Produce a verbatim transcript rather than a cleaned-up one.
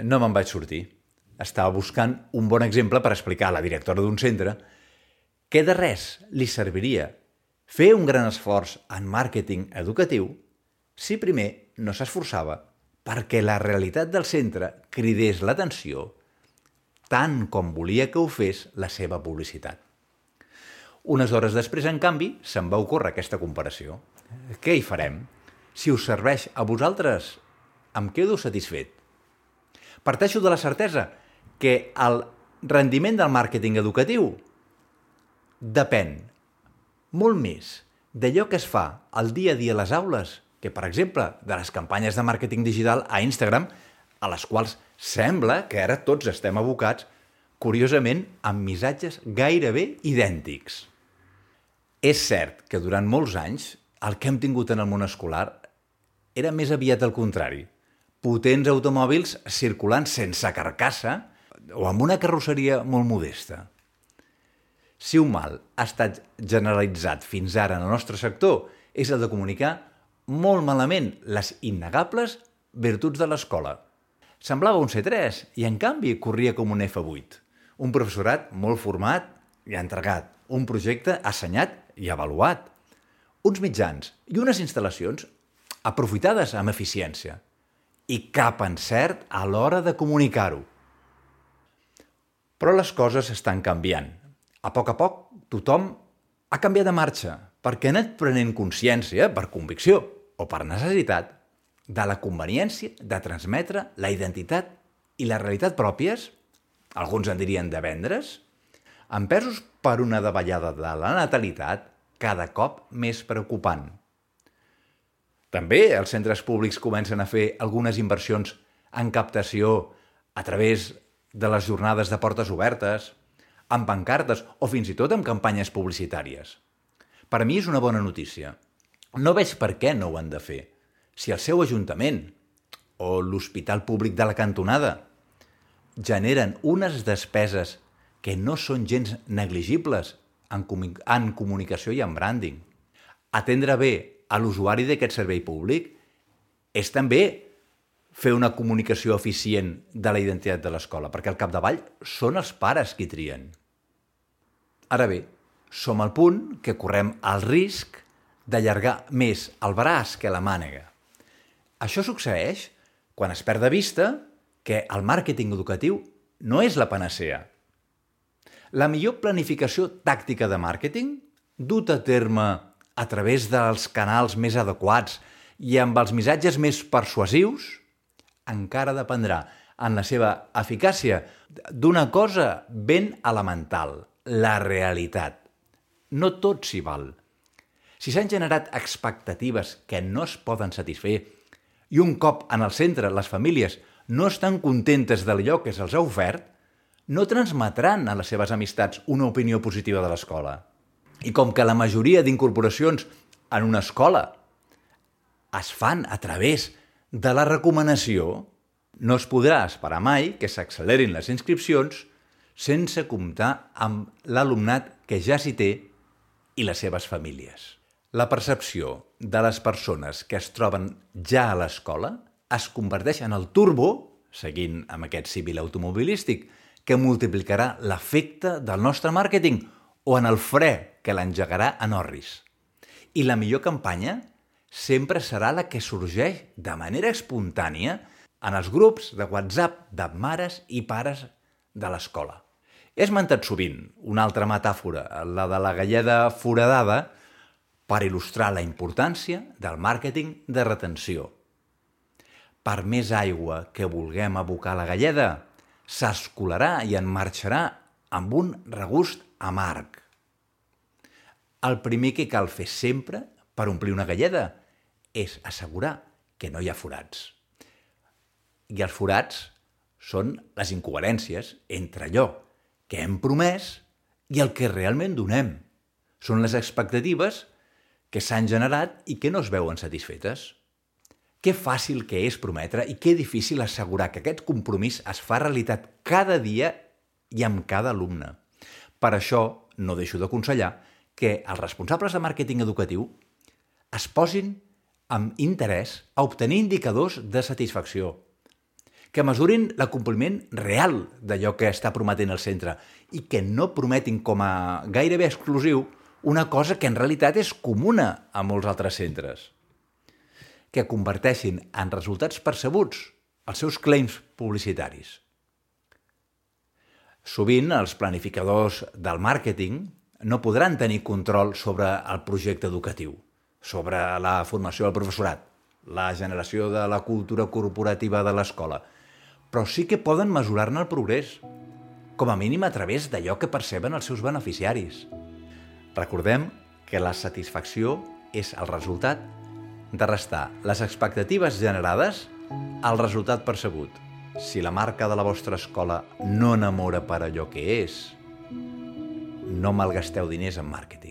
No me'n vaig sortir. Estava buscant un bon exemple per explicar a la directora d'un centre que de res li serviria fer un gran esforç en màrqueting educatiu si primer no s'esforçava perquè la realitat del centre cridés l'atenció tant com volia que ho fes la seva publicitat. Unes hores després, en canvi, se'm va ocórrer aquesta comparació. Què hi farem? Si us serveix a vosaltres, em quedo satisfet. Parteixo de la certesa que el rendiment del màrqueting educatiu depèn molt més d'allò que es fa al dia a dia a les aules que, per exemple, de les campanyes de màrqueting digital a Instagram, a les quals sembla que ara tots estem abocats, curiosament, amb missatges gairebé idèntics. És cert que durant molts anys el que hem tingut en el món escolar era més aviat el contrari. Potents automòbils circulant sense carcassa o amb una carrosseria molt modesta. Si un mal ha estat generalitzat fins ara en el nostre sector és el de comunicar molt malament les innegables virtuts de l'escola. Semblava un C tres i, en canvi, corria com un F vuit. Un professorat molt format i entregat. Un projecte assenyat i avaluat. Uns mitjans i unes instal·lacions aprofitades amb eficiència. I cap encert a l'hora de comunicar-ho. Però les coses estan canviant. A poc a poc, tothom ha canviat de marxa perquè ha anat prenent consciència, per convicció o per necessitat, de la conveniència de transmetre la identitat i la realitat pròpies, alguns en dirien de vendre's, empesos per una davallada de la natalitat cada cop més preocupant. També els centres públics comencen a fer algunes inversions en captació a través de les jornades de portes obertes, amb pancartes o fins i tot amb campanyes publicitàries. Per mi és una bona notícia. No veig per què no ho han de fer. Si el seu ajuntament o l'hospital públic de la cantonada generen unes despeses que no són gens negligibles en, comu- en comunicació i en branding, atendre bé a l'usuari d'aquest servei públic és també fer una comunicació eficient de la identitat de l'escola, perquè al capdavall són els pares qui trien. Ara bé, som al punt que correm el risc d'allargar més el braç que la mànega. Això succeeix quan es perd de vista que el màrqueting educatiu no és la panacea. La millor planificació tàctica de màrqueting, dut a terme a través dels canals més adequats i amb els missatges més persuasius, encara dependrà en la seva eficàcia d'una cosa ben elemental, la realitat. No tot s'hi val. Si s'han generat expectatives que no es poden satisfer i un cop en el centre les famílies no estan contentes d'allò que se'ls ha ofert, no transmetran a les seves amistats una opinió positiva de l'escola. I com que la majoria d'incorporacions en una escola es fan a través de la recomanació, no es podrà esperar mai que s'accelerin les inscripcions sense comptar amb l'alumnat que ja s'hi té i les seves famílies. La percepció de les persones que es troben ja a l'escola es converteix en el turbo, seguint amb aquest símil automobilístic, que multiplicarà l'efecte del nostre màrqueting o en el fre que l'engegarà en orris. I la millor campanya sempre serà la que sorgeix de manera espontània en els grups de WhatsApp de mares i pares de l'escola. He esmentat sovint una altra metàfora, la de la galleda foradada, per il·lustrar la importància del màrqueting de retenció. Per més aigua que vulguem abocar a la galleda, s'escolarà i en marxarà amb un regust amarg. El primer que cal fer sempre per omplir una galleda és assegurar que no hi ha forats. I els forats són les incoherències entre allò que hem promès i el que realment donem. Són les expectatives que s'han generat i que no es veuen satisfetes. Que fàcil que és prometre i que difícil assegurar que aquest compromís es fa realitat cada dia i amb cada alumne. Per això no deixo d'aconsellar que els responsables de màrqueting educatiu es posin amb interès a obtenir indicadors de satisfacció, que mesurin l'acompliment real d'allò que està prometent el centre i que no prometin com a gairebé exclusiu una cosa que en realitat és comuna a molts altres centres. Que converteixin en resultats percebuts els seus claims publicitaris. Sovint, els planificadors del màrqueting no podran tenir control sobre el projecte educatiu, sobre la formació del professorat, la generació de la cultura corporativa de l'escola, però sí que poden mesurar-ne el progrés, com a mínim a través d'allò que perceben els seus beneficiaris. Recordem que la satisfacció és el resultat de restar les expectatives generades al resultat percebut. Si la marca de la vostra escola no enamora per allò que és, no malgasteu diners en màrqueting.